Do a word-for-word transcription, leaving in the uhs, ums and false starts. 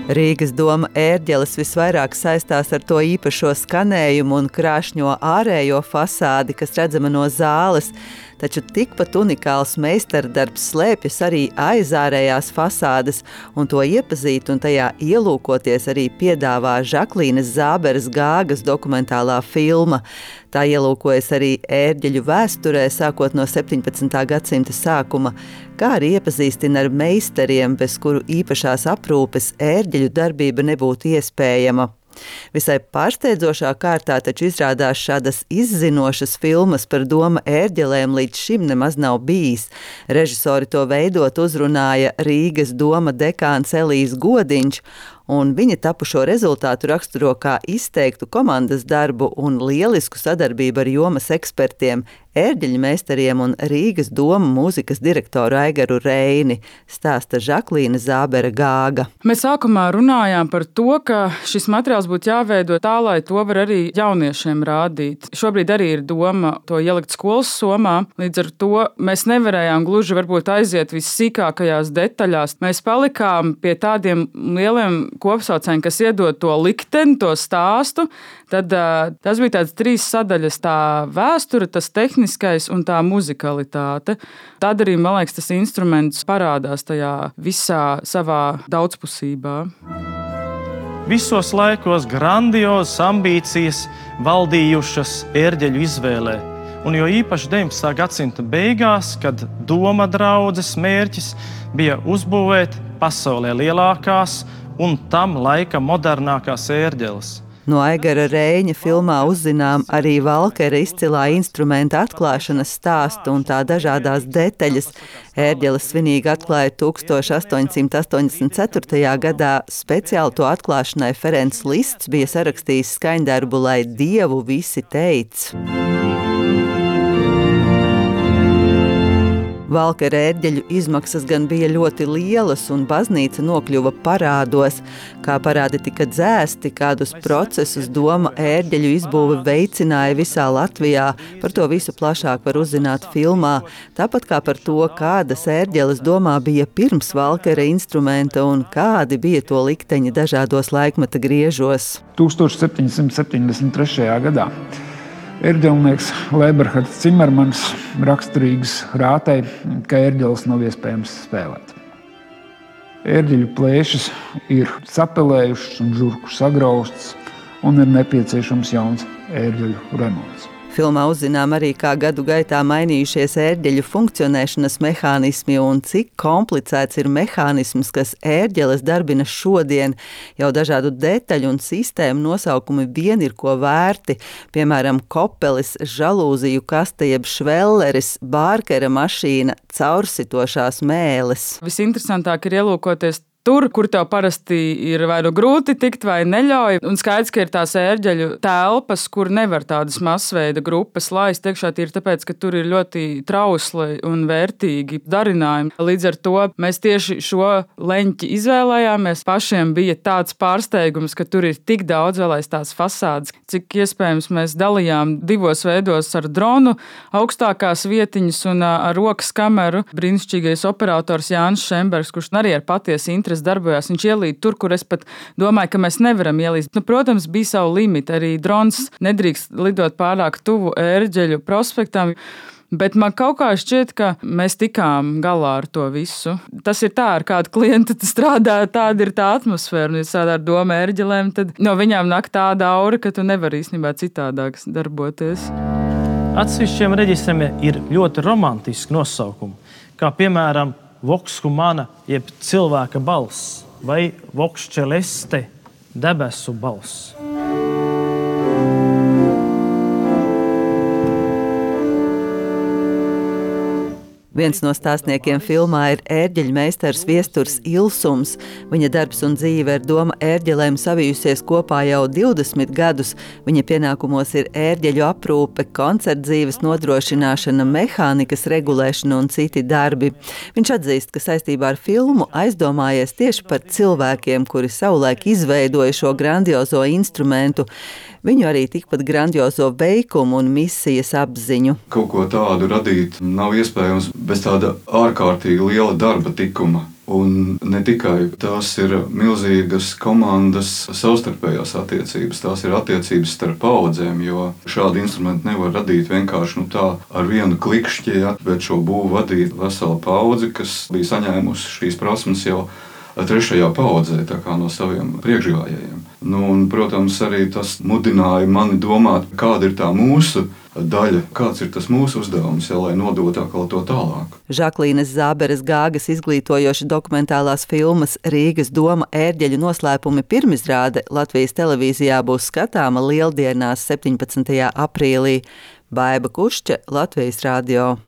Rīgas doma ērģeles visvairāk saistās ar to īpašo skanējumu un krāšņo ārējo fasādi, kas redzama no zāles, taču tikpat unikāls meistardarbs slēpjas arī aiz ārējās fasādes, un to iepazīt un tajā ielūkoties arī piedāvā Žaklīnes Zāberes Gāgas dokumentālā filma. Tā ielūkojas arī ērģeļu vēsturē, sākot no septiņpadsmitā gadsimta sākuma, kā arī iepazīstina ar meistariem, bez kuru īpašās aprūpes ērģeļu darbība nebūtu iespējama. Visai pārsteidzošā kārtā taču izrādās šādas izzinošas filmas par doma ērģelēm līdz šim nemaz nav bijis. Režisori to veidot uzrunāja Rīgas doma dekāns Elijs Godiņš, un viņa tapušo rezultātu raksturo kā izteiktu komandas darbu un lielisku sadarbību ar jomas ekspertiem, ērģeļu meistariem un Rīgas doma mūzikas direktoru Aigaru Reini, stāsta Žaklīne Zābere Gāga. Mēs sākumā runājām par to, ka šis materiāls būtu jāveido tā, lai to var arī jauniešiem rādīt. Šobrīd arī ir doma to ielikt skolas somā, līdz ar to mēs nevarējām gluži varbūt aiziet vissīkākajās detaļās. Mēs palikām pie tādiem lieliem kopsaucējiem, kas iedod to likteni, to stāstu. Tad uh, tas bija tāds trīs sadaļas, tā vēsture, tas tehniskais un tā muzikalitāte. Tad arī, man liekas, tas instruments parādās tajā visā savā daudzpusībā. Visos laikos grandiozas ambīcijas valdījušas ērģeļu izvēlē, un jo īpaši deviņpadsmitā gadsimta beigās, kad doma draudzes mērķis bija uzbūvēt pasaulē lielākās un tam laika modernākās ērģeles. No Aigara Reņa filmā uzzinām arī Valkera izcilā instrumenta atklāšanas stāstu un tā dažādās detaļas. Ērģeles svinīgi atklāja tūkstoš astoņsimt astoņdesmit ceturtajā gadā. Speciāli to atklāšanai Ferencs Lists bija sarakstījis skaņdarbu, lai Dievu visi teic. Valkera ērģeļu izmaksas gan bija ļoti lielas, un baznīca nokļuva parādos. Kā parādi tika dzēsti, kādus procesus doma ērģeļu izbūve veicināja visā Latvijā, par to visu plašāk var uzzināt filmā. Tāpat kā par to, kādas ērģeles domā bija pirms Valkera instrumenta un kādi bija to likteņi dažādos laikmeta griežos. tūkstoš septiņsimt septiņdesmit trešajā gadā ērģelnieks Leberhards Cimermans raksturīgs rātei, ka ērģeles nav iespējams spēlēt. Ērģeļu plēšas ir sapelējušas un žurku sagraustas, un ir nepieciešams jauns ērģeļu remonts. Filmā uzzinām arī, kā gadu gaitā mainījušies ērģeļu funkcionēšanas mehānismi un cik komplicēts ir mehānisms, kas ērģeles darbina šodien. Jau dažādu detaļu un sistēmu nosaukumi vien ir ko vērti, piemēram, kopelis, žalūziju kaste jeb švelleris, Bārkera mašīna, caursitošās mēles. Visinteresantāk ir ielūkoties tur, kur tev parasti ir vai nu grūti tikt vai neļauj. Un skaidrs, ka ir tās ērģeļu telpas, kur nevar tādas masveida grupas laist iekšā, tīri tāpēc, ka tur ir ļoti trausli un vērtīgi darinājumi. Līdz ar to mēs tieši šo leņķi izvēlējāmies. Pašiem bija tāds pārsteigums, ka tur ir tik daudz vēl aiz tās fasādes, cik iespējams mēs dalījām divos veidos ar dronu, augstākās vietiņas un ar rokas kameru. Brīnišķīgais operators Jānis Šembergs, kurš arī ar patiesi interesi darbojās, viņš ielīd tur, kur es pat domāju, ka mēs nevaram ielīst. Nu, protams, bija savu limitu, arī drons nedrīkst lidot pārāk tuvu ērģeļu prospektam, bet man kaut kā šķiet, ka mēs tikām galā ar to visu. Tas ir tā, ar kādu klientu strādā, tāda ir tā atmosfēra, un ja strādā ar doma ērģelēm, tad no viņām nāk tāda aura, ka tu nevari īstenībā citādāk darboties. Atsevišķiem reģistriem ir ļoti romantiski nosaukumi, kā piemēram vox humana, jeb cilvēka balss, vai vox celeste, debesu balss. Viens no stāstniekiem filmā ir ērģeļu meistars Viesturs Ilsums. Viņa darbs un dzīve ar doma ērģelēm savijusies kopā jau divdesmit gadus. Viņa pienākumos ir ērģeļu aprūpe, koncertdzīves nodrošināšana, mehānikas regulēšana un citi darbi. Viņš atzīst, ka saistībā ar filmu aizdomājies tieši par cilvēkiem, kuri savulaik izveidoja šo grandiozo instrumentu. Viņu arī tikpat grandiozo veikumu un misijas apziņu. Kaut ko tādu radīt nav iespējams bez tāda ārkārtīgi liela darba tikuma. Un ne tikai tās ir milzīgas komandas savstarpējās attiecības, tās ir attiecības starp paudzēm, jo šādi instrumenti nevar radīt vienkārši nu, tā ar vienu klikšķi, ja, bet šo būvu vadīt vesela paudze, kas bija saņēmusi šīs prasmes jau trešajā paudzē, tā kā no saviem priekšgājējiem. Nu, un, protams, arī tas mudināja mani domāt, kāda ir tā mūsu daļa, kāds ir tas mūsu uzdevums, ja, lai nodotu atkal to tālāk. Žaklīnes Zāberes Gāgas izglītojoša dokumentālās filmas Rīgas doma ērģeļu noslēpumi pirmizrāde Latvijas televīzijā būs skatāma Lieldienās septiņpadsmitajā aprīlī. Baiba Kušķe, Latvijas radio.